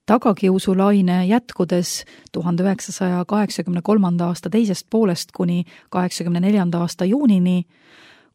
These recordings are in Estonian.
Tagakiusulaine jätkudes 1983. aasta teisest poolest kuni 1984. aasta juunini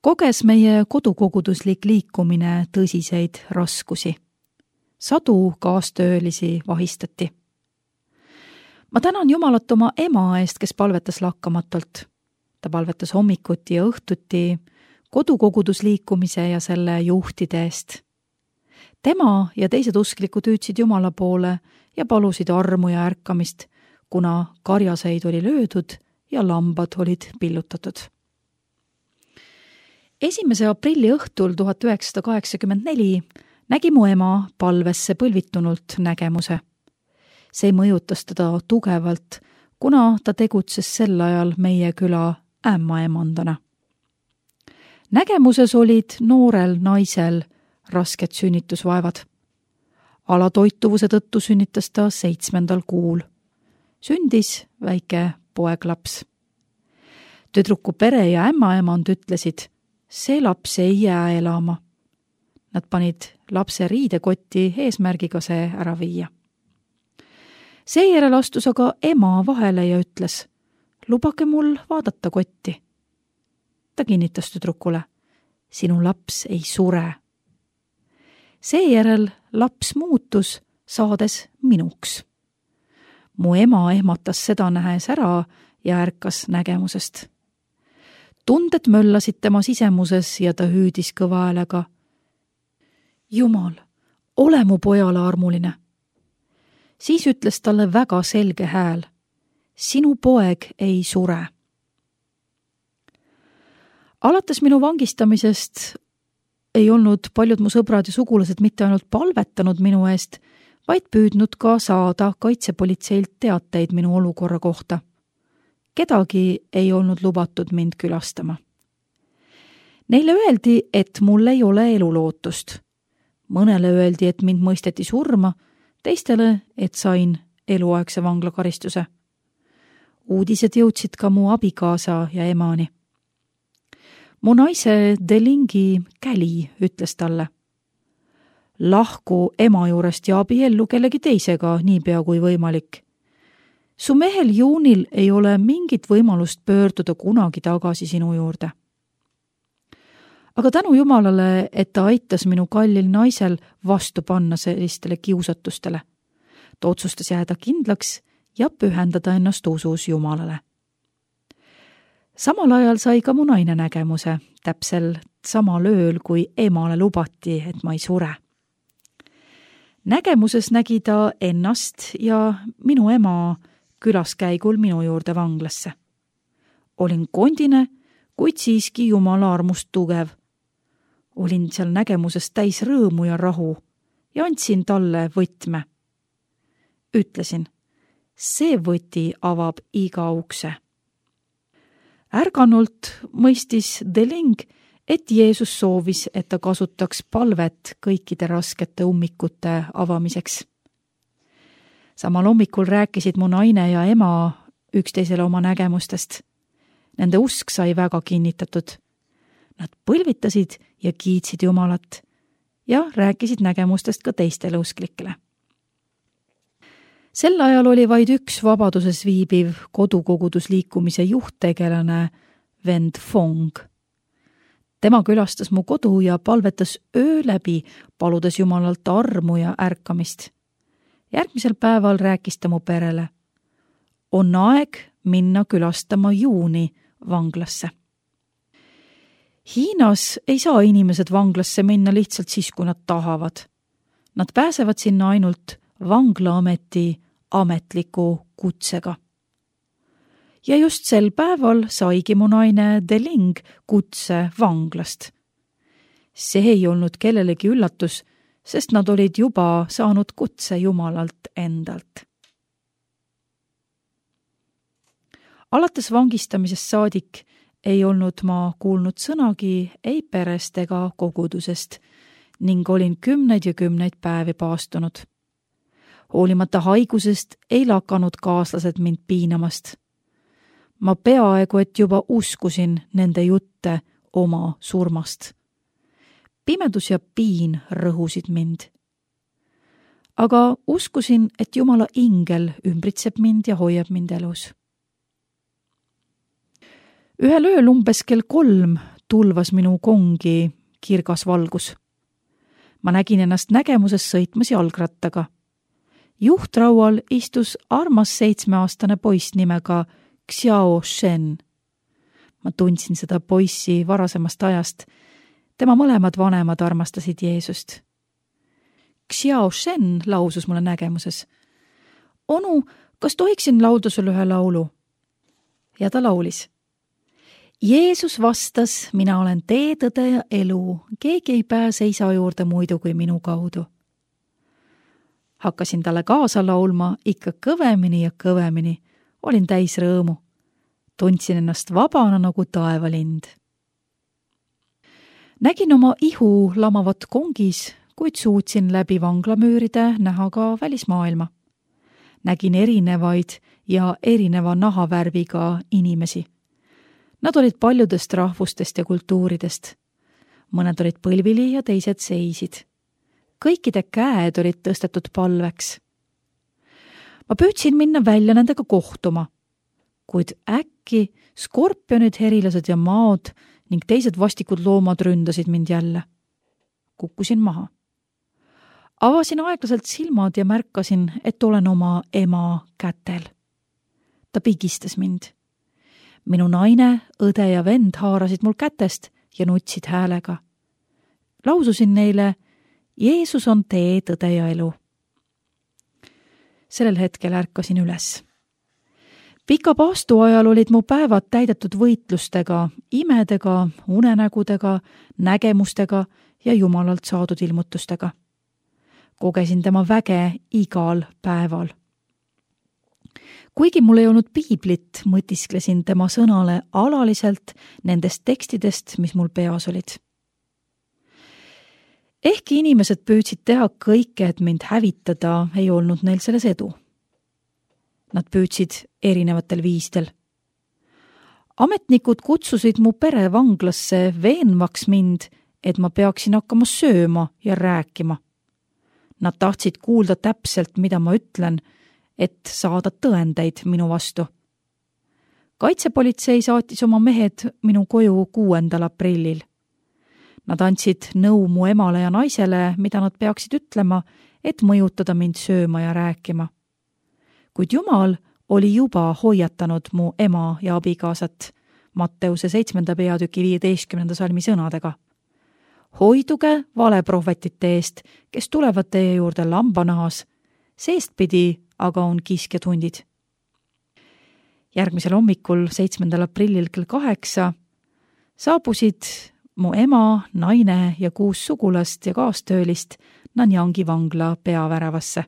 koges meie kodukoguduslik liikumine tõsiseid raskusi. Sadu kaastöölisi vahistati. Ma tänan Jumalat oma ema eest, kes palvetas lakkamatult. Ta palvetas hommikuti ja õhtuti kodukogudusliikumise ja selle juhtide eest. Tema ja teised usklikud hüüdsid Jumala poole ja palusid armu ja ärkamist, kuna karjaseid oli löödud ja lambad olid pillutatud. 1. aprilli õhtul 1984 nägi mu ema palvesse põlvitunult nägemuse. See mõjutas teda tugevalt, kuna ta tegutses sel ajal meie küla ämmaemandana. Nägemuses olid noorel naisel rasked sünnitusvaevad. Alatoituvuse tõttu sünnitas ta 7. kuul. Sündis väike poeglaps. Tüdruku pere ja ämmaemand ütlesid, see laps ei jää elama. Nad panid lapse riidekotti eesmärgiga see ära viia. Seejärel astus aga ema vahele ja ütles, lubage mul vaadata kotti. Ta kinnitas tüdrukule, sinu laps ei sure. Seejärel laps muutus, saades minuks. Mu ema ehmatas seda nähes ära ja ärkas nägemusest. Tunded möllasid tema sisemuses ja ta hüüdis kõva häälega. Jumal, ole mu pojale armuline. Siis ütles talle väga selge hääl. Sinu poeg ei sure. Alates minu vangistamisest ei olnud paljud mu sõbrad ja sugulased mitte ainult palvetanud minu eest, vaid püüdnud ka saada kaitsepolitseilt teateid minu olukorra kohta. Kedagi ei olnud lubatud mind külastama. Neile öeldi, et mul ei ole elulootust. Mõnele öeldi, et mind mõisteti surma, teistele, et sain eluaegse vanglakaristuse. Uudised jõudsid ka mu abikaasa ja emani. Mu naise Delingi käli ütles talle. Lahku ema juurest ja abiellu kellegi teisega niipea kui võimalik. Su mehel Juunil ei ole mingit võimalust pöörduda kunagi tagasi sinu juurde. Aga tänu Jumalale, et ta aitas minu kallil naisel vastu panna sellistele kiusatustele. Ta otsustas jääda kindlaks ja pühendada ennast usus Jumalale. Samal ajal sai ka mu naine nägemuse, täpsel samal ööl, kui emale lubati, et ma ei sure. Nägemuses nägi ta ennast ja minu ema külaskäigul minu juurde vanglasse. Olin kondine, kuid siiski Jumala armust tugev. Olin seal nägemuses täis rõõmu ja rahu ja andsin talle võtme. Ütlesin, see võti avab iga ukse. Ärganult mõistis Deling, et Jeesus soovis, et ta kasutaks palvet kõikide raskete ummikute avamiseks. Samal hommikul rääkisid mu naine ja ema üksteisele oma nägemustest. Nende usk sai väga kinnitatud. Nad põlvitasid ja kiitsid Jumalat ja rääkisid nägemustest ka teistele usklikele. Sel ajal oli vaid üks vabaduses viibiv kodukogudusliikumise juhttegelane vend Fong. Tema külastas mu kodu ja palvetas öö läbi, paludes Jumalalt armu ja ärkamist. Järgmisel päeval rääkis ta mu perele. On aeg minna külastama Juuni vanglasse. Hiinas ei saa inimesed vanglasse minna lihtsalt siis, kui nad tahavad. Nad pääsevad sinna ainult vanglaameti ametliku kutsega. Ja just sel päeval saigi mu naine Deling kutse vanglast. See ei olnud kellelegi üllatus, sest nad olid juba saanud kutse Jumalalt endalt. Alates vangistamisest saadik ei olnud ma kuulnud sõnagi ei perest ega kogudusest ning olin 10 ja 10 päevi paastunud. Hoolimata haigusest ei lakanud kaaslased mind piinamast. Ma peaaegu et juba uskusin nende jutte oma surmast. Pimedus ja piin rõhusid mind. aga uskusin, et Jumala ingel ümbritseb mind ja hoiab mind elus. Ühel ööl umbes kell 3 tulvas minu kongi kirgas valgus. Ma nägin ennast nägemuses sõitmas jalgrattaga. Juhtraual istus armas 7-aastane poiss nimega Xiao Shen. Ma tundsin seda poissi varasemast ajast. Tema mõlemad vanemad armastasid Jeesust. Xiao Shen lausus mulle nägemuses. Onu, kas tohiksin laulda sulle ühe laulu? Ja ta laulis. Jeesus vastas, mina olen tee, tõde ja elu. Keegi ei pääse isa juurde muidu kui minu kaudu. Hakkasin talle kaasa laulma ikka kõvemini ja kõvemini. Olin täis rõõmu. Tundsin ennast vabana nagu taevalind. Nägin oma ihu lamavat kongis, kuid suutsin läbi vanglamüüride näha ka välismaailma. Nägin erinevaid ja erineva nahavärviga inimesi. Nad olid paljudest rahvustest ja kultuuridest. Mõned olid põlvili ja teised seisid. Kõikide käed olid tõstetud palveks. Ma püüdsin minna välja nendega kohtuma, kuid äkki skorpionid, herilased ja maod ning teised vastikud loomad ründasid mind jälle. Kukkusin maha. Avasin aeglaselt silmad ja märkasin, et olen oma ema kätel. Ta pigistas mind. Minu naine, õde ja vend haarasid mul kätest ja nutsid häälega. Laususin neile, Jeesus on tee, tõde ja elu. Sellel hetkel ärkasin üles. Pika paastu ajal olid mu päevad täidetud võitlustega, imedega, unenägudega, nägemustega ja Jumalalt saadud ilmutustega. Kogesin tema väge igal päeval. Kuigi mul ei olnud piiblit, mõtisklesin tema sõnale alaliselt nendest tekstidest, mis mul peas olid. Ehkki inimesed püüdsid teha kõike, et mind hävitada, ei olnud neil selles edu. Nad püüdsid erinevatel viisidel. Ametnikud kutsusid mu pere vanglasse veenvaks mind, et ma peaksin hakkama sööma ja rääkima. Nad tahtsid kuulda täpselt, mida ma ütlen, et saada tõendeid minu vastu. Kaitsepolitsei saatis oma mehed minu koju 6. aprillil. Nad andsid nõu mu emale ja naisele, mida nad peaksid ütlema, et mõjutada mind sööma ja rääkima. Kuid Jumal oli juba hoiatanud mu ema ja abikaasat Matteuse 7. peatüki 15. salmi sõnadega. Hoiduge valeprohvetite eest, kes tulevad teie juurde lambanahas, seestpidi aga on kiskjad hundid. Järgmisel hommikul 7. aprillil kell 8 saabusid mu ema, naine ja 6 sugulast ja kaastöölist Nanjangi vangla peaväravasse.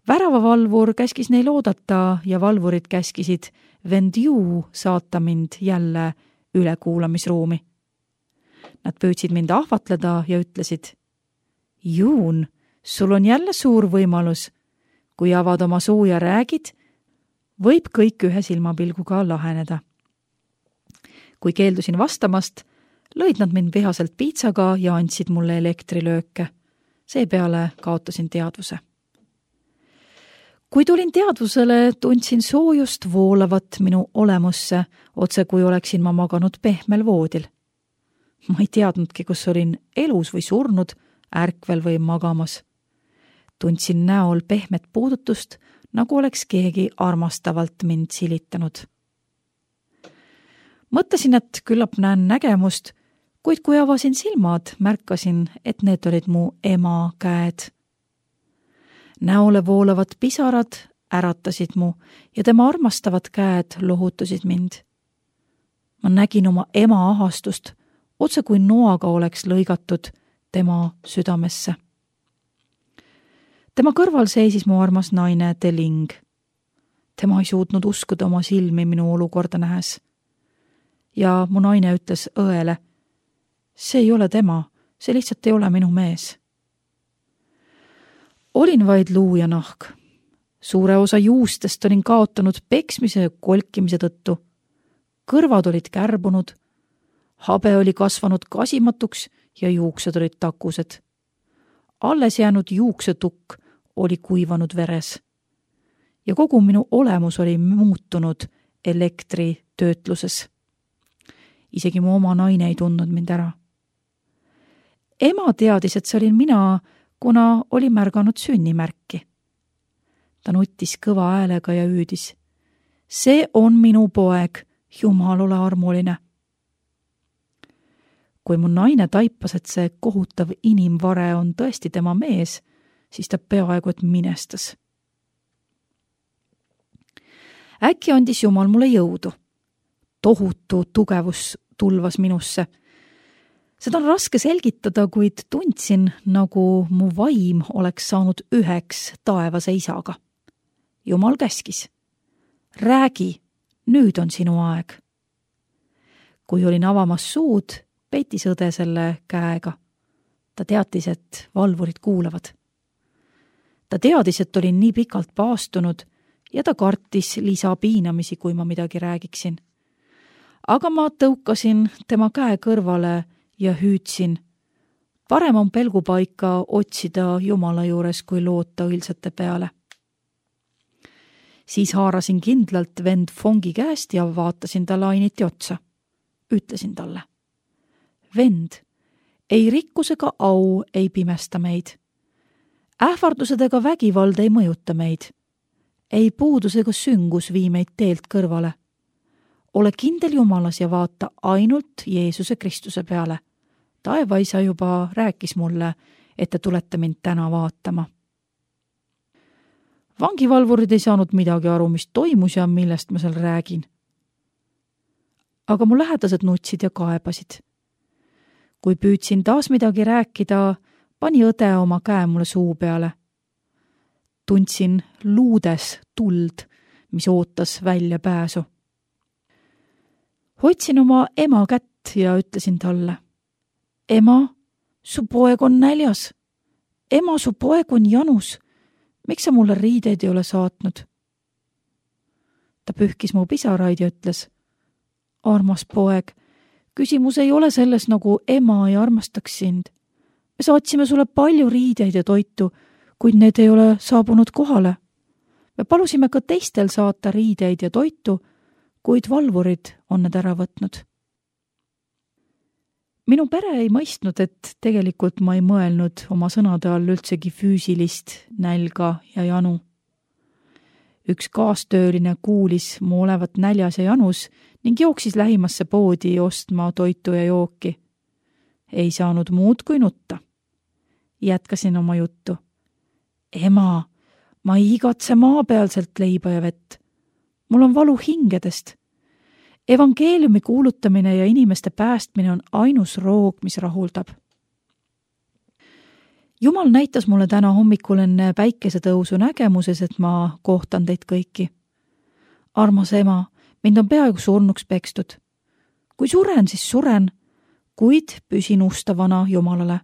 Väravavalvur käskis neil oodata ja valvurid käskisid Vendiu saata mind jälle ülekuulamisruumi. Nad püüdsid mind ahvatleda ja ütlesid, Juun, sul on jälle suur võimalus. Kui avad oma suu ja räägid, võib kõik ühe silmapilguga laheneda. Kui keeldusin vastamast, lõid nad mind vihaselt piitsaga ja andsid mulle elektrilööke. Seepeale kaotasin teadvuse. Kui tulin teadvusele, tundsin soojust voolavat minu olemusse, otse kui oleksin ma maganud pehmel voodil. Ma ei teadnudki, kus olin elus või surnud, ärkvel või magamas. Tundsin näol pehmet puudutust, nagu oleks keegi armastavalt mind silitanud. Mõtlesin, et küllap näen nägemust, kuid kui avasin silmad, märkasin, et need olid mu ema käed. Näole voolavad pisarad äratasid mu ja tema armastavad käed lohutasid mind. Ma nägin oma ema ahastust, otse kui noaga oleks lõigatud tema südamesse. Tema kõrval seisis mu armas naine Teling. Tema ei suutnud uskuda oma silmi minu olukorda nähes. Ja mu naine ütles õele, see ei ole tema, see lihtsalt ei ole minu mees. Olin vaid luu ja nahk. Suure osa juustest olin kaotanud peksmise ja kolkimise tõttu. Kõrvad olid kärbunud, habe oli kasvanud kasimatuks ja juuksed olid takused. Alles jäänud juuksetukk oli kuivanud veres ja kogu minu olemus oli muutunud elektritöötluses. Isegi mu oma naine ei tundnud mind ära. Ema teadis, et see olin mina, kuna oli märganud sünnimärki. Ta nuttis kõva häälega ja hüüdis. See on minu poeg, Jumal ole armuline. Kui mu naine taipas, et see kohutav inimvare on tõesti tema mees, siis ta peaaegu et minestas. Äkki andis Jumal mulle jõudu. Tohutu tugevus tulvas minusse. Seda on raske selgitada, kuid tundsin, nagu mu vaim oleks saanud üheks taevase isaga. Jumal käskis. Räägi, nüüd on sinu aeg. Kui olin avamas suud, peitis õde selle käega. Ta teatis, et valvurid kuulavad. Ta teadis, et olin nii pikalt paastunud ja ta kartis lisapiinamisi, kui ma midagi räägiksin. Aga ma tõukasin tema käe kõrvale ja hüüdsin. Parem on pelgupaika otsida Jumala juures, kui loota õilsate peale. Siis haarasin kindlalt vend Fongi käest ja vaatasin talle ainiti otsa. Ütlesin talle. Vend, ei rikkus ega au ei pimesta meid. Ähvardused ega vägivald ei mõjuta meid. Ei puudus ega süngus vii meid teelt kõrvale. Ole kindel Jumalas ja vaata ainult Jeesuse Kristuse peale. Taevaisa juba rääkis mulle, et te tulete mind täna vaatama. Vangivalvurid ei saanud midagi aru, mis toimus ja millest ma seal räägin. Aga mu lähedased nutsid ja kaebasid. Kui püüdsin taas midagi rääkida, pani õde oma käe mulle suu peale. Tundsin luudes tuld, mis ootas välja pääsu. Hoidsin oma ema kätt ja ütlesin talle. Ema, su poeg on näljas. Ema, su poeg on janus. Miks sa mulle riideid ei ole saatnud? Ta pühkis mu pisaraid ja ütles. Armas poeg, küsimus ei ole selles, nagu ema ei armastaks sind. Me saatsime sulle palju riideid ja toitu, kuid need ei ole saabunud kohale. Me palusime ka teistel saata riideid ja toitu, kuid valvurid on need ära võtnud. Minu pere ei mõistnud, et tegelikult ma ei mõelnud oma sõnade all üldsegi füüsilist nälga ja janu. Üks kaastööline kuulis mu olevat näljas ja janus ning jooksis lähimasse poodi ostma toitu ja jooki. Ei saanud muud kui nutta. Jätkasin oma juttu. Ema, ma ei igatse maapealselt leiba ja vett. Mul on valu hingedest. Evangeeliumi kuulutamine ja inimeste päästmine on ainus roog, mis rahuldab. Jumal näitas mulle täna hommikul enne päikesetõusu nägemuses, et ma kohtan teid kõiki. Armas ema, mind on peaaegu surnuks pekstud. Kui suren, siis suren, kuid püsin ustavana Jumalale.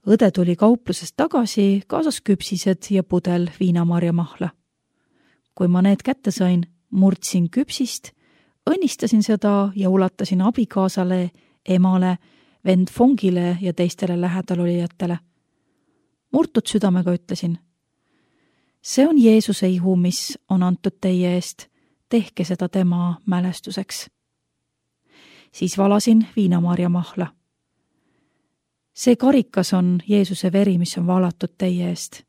Õde tuli kauplusest tagasi, kaasas küpsised ja pudel viinamarjamahla. Kui ma need kätte sain, murdsin küpsist, õnnistasin seda ja ulatasin abikaasale, emale, vend Fongile ja teistele lähedalulijatele. Murtud südamega ütlesin. See on Jeesuse ihu, mis on antud teie eest. Tehke seda tema mälestuseks. Siis valasin viinamarjamahla. See karikas on Jeesuse veri, mis on valatud teie eest.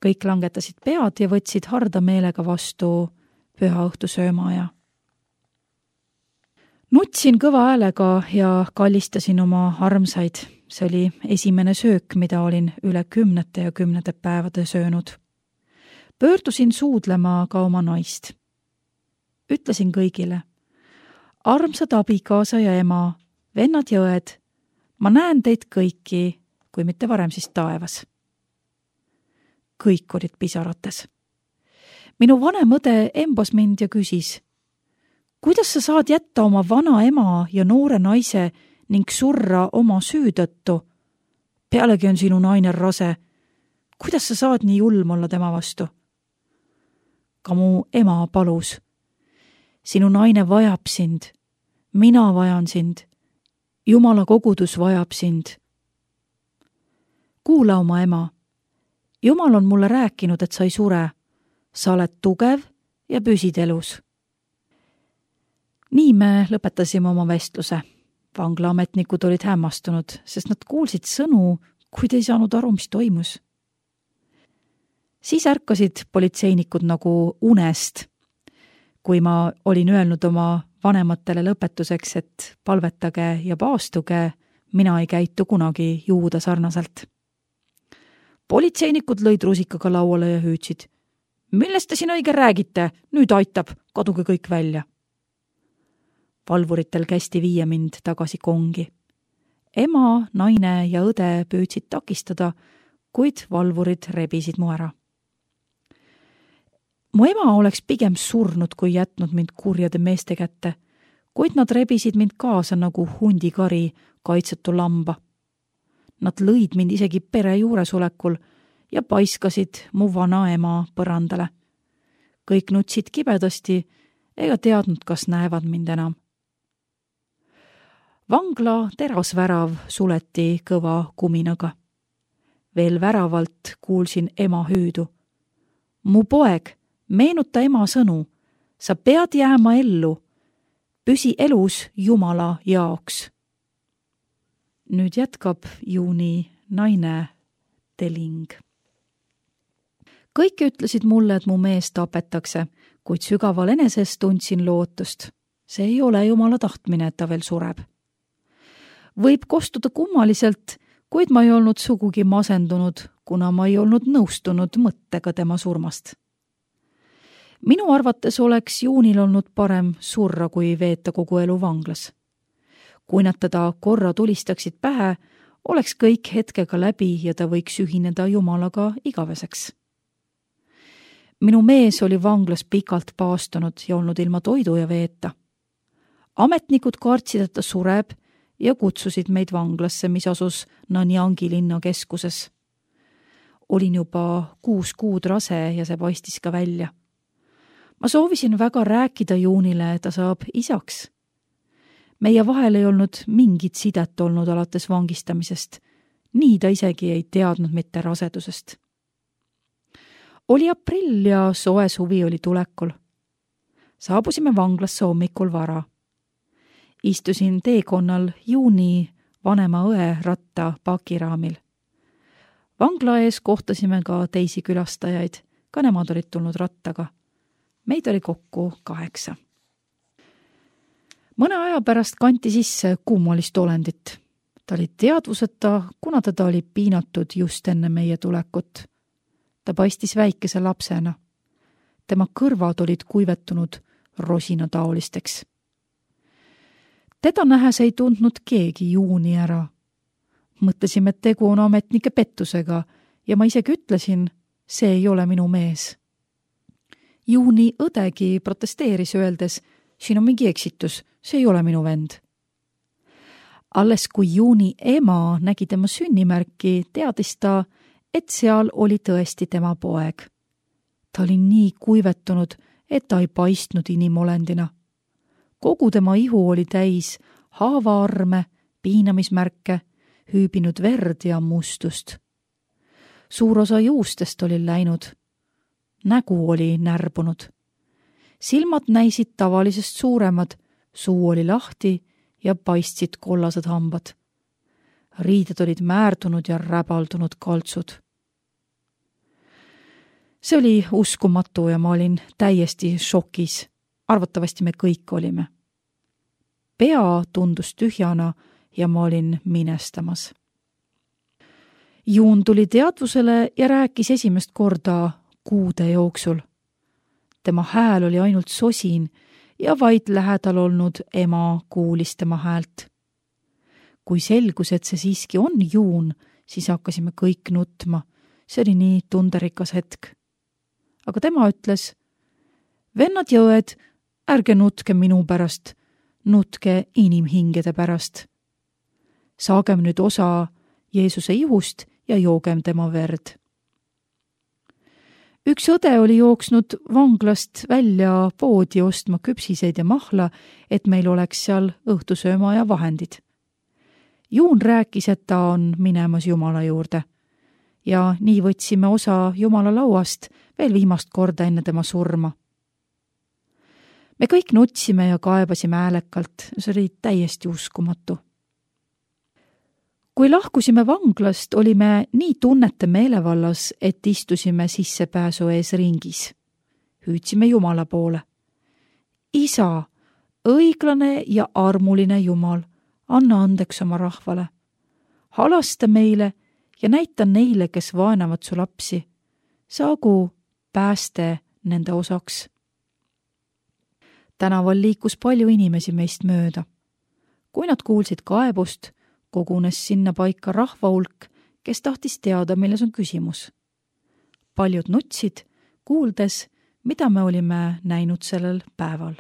Kõik langetasid pead ja võtsid harda meelega vastu pühaõhtu söömaaja. Nutsin kõva häälega ja kallistasin oma armsaid. See oli esimene söök, mida olin üle 10 ja 10 päevade söönud. Pöördusin suudlema ka oma naist. Ütlesin kõigile. Armsad abikaasa ja ema, vennad ja õed, ma näen teid kõiki, kui mitte varem siis taevas. Kõik olid pisarates. Minu vanem õde embas mind ja küsis, kuidas sa saad jätta oma vana ema ja noore naise ning surra oma süü tõttu? Pealegi on sinu naine rase. Kuidas sa saad nii julm olla tema vastu? Ka mu ema palus. Sinu naine vajab sind. Mina vajan sind. Jumala kogudus vajab sind. kuula oma ema. Jumal on mulle rääkinud, et sa ei sure. Sa oled tugev ja püsid elus. Nii me lõpetasime oma vestluse. Vanglaametnikud olid hämmastunud, sest nad kuulsid sõnu, kuid ei saanud aru, mis toimus. Siis ärkasid politseinikud nagu unest, kui ma olin öelnud oma vanematele lõpetuseks, et palvetage ja paastuge, mina ei käitu kunagi juuda sarnaselt. Politseinikud lõid rusikaga lauale ja hüüdsid. Millest te siin õige räägite? Nüüd aitab, kaduge kõik välja. Valvuritel kästi viia mind tagasi kongi. Ema, naine ja õde püüdsid takistada, kuid valvurid rebisid mu ära. Mu ema oleks pigem surnud, kui jätnud mind kurjade meeste kätte, kuid nad rebisid mind kaasa nagu hundikari kaitsetu lamba. Nad lõid mind isegi pere juuresolekul ja paiskasid mu vana ema põrandale. Kõik nutsid kibedasti ega teadnud, kas näevad mind enam. Vangla terasvärav suleti kõva kuminaga. Veel väravalt kuulsin ema hüüdu. Mu poeg, meenuta ema sõnu. Sa pead jääma ellu. Püsi elus Jumala jaoks. Nüüd jätkab Juuni naine Teling. Kõik ütlesid mulle, et mu mees tapetakse, kuid sügaval eneses tundsin lootust. See ei ole Jumala tahtmine, et ta veel sureb. Võib kostuda kummaliselt, kuid ma ei olnud sugugi masendunud, kuna ma ei olnud nõustunud mõttega tema surmast. Minu arvates oleks Juunil olnud parem surra, kui veeta kogu elu vanglas. Kui nad teda korra tulistaksid pähe, oleks kõik hetkega läbi ja ta võiks ühineda Jumalaga igaveseks. Minu mees oli vanglas pikalt paastunud ja olnud ilma toidu ja veeta. Ametnikud kartsid, et ta sureb ja kutsusid meid vanglasse, mis asus Nanjangi linna keskuses. Olin juba 6 kuud rase ja see paistis ka välja. Ma soovisin väga rääkida Juunile, et ta saab isaks. Meie vahel ei olnud mingit sidet olnud alates vangistamisest. Nii ta isegi ei teadnud mitte rasedusest. Oli aprill ja soe suvi oli tulekul. Saabusime vanglasse hommikul vara. Istusin teekonnal Juuni vanema õe ratta pakiraamil. Vangla ees kohtasime ka teisi külastajaid, ka nemad olid tulnud rattaga. Meid oli kokku 8. Mõne aja pärast kanti sisse kummalist olendit. Ta oli teadvuseta, kuna teda oli piinatud just enne meie tulekut. Ta paistis väikese lapsena. Tema kõrvad olid kuivetunud rosinataolisteks. Teda nähes ei tundnud keegi Juuni ära. Mõtlesime, et tegu on ametnike pettusega ja ma isegi ütlesin, see ei ole minu mees. Juuni õdegi protesteeris öeldes, siin on mingi eksitus, see ei ole minu vend. Alles kui Juuni ema nägi tema sünnimärki, teadis ta, et seal oli tõesti tema poeg. Ta oli nii kuivetunud, et ta ei paistnud inimolendina. Kogu tema ihu oli täis haavaarme, piinamismärke, hüübinud verd ja mustust. Suur osa juustest oli läinud. Nägu oli närbunud. Silmad näisid tavalisest suuremad, suu oli lahti ja paistsid kollased hambad. Riided olid määrdunud ja räbaldunud kaltsud. See oli uskumatu ja ma olin täiesti šokis. Arvatavasti me kõik olime. Pea tundus tühjana ja ma olin minestamas. Juun tuli teadvusele ja rääkis esimest korda kuude jooksul. Tema hääl oli ainult sosin ja vaid lähedal olnud ema kuulis tema häält. Kui selgus, et see siiski on Juun, siis hakkasime kõik nutma. See oli nii tunderikas hetk. Aga tema ütles, vennad ja õed, ärge nutke minu pärast, nutke inimhingede pärast. Saagem nüüd osa Jeesuse ihust ja joogem tema verd. Üks õde oli jooksnud vanglast välja poodi ostma küpsiseid ja mahla, et meil oleks seal õhtusööma ja vahendid. Juun rääkis, et ta on minemas Jumala juurde. ja nii võtsime osa Jumala lauast veel viimast korda enne tema surma. Me kõik nutsime ja kaebasime häälekalt, see oli täiesti uskumatu. Kui lahkusime vanglast, olime nii tunnete meelevallas, et istusime sissepääsu ees ringis. Hüüdsime Jumala poole. Isa, õiglane ja armuline Jumal, anna andeks oma rahvale. Halasta meile ja näita neile, kes vaenavad su lapsi. Saagu pääste nende osaks. Tänaval liikus palju inimesi meist mööda. Kui nad kuulsid kaebust, kogunes sinna paika rahva hulk, kes tahtis teada, milles on küsimus. Paljud nutsid, kuuldes, mida me olime näinud sellel päeval.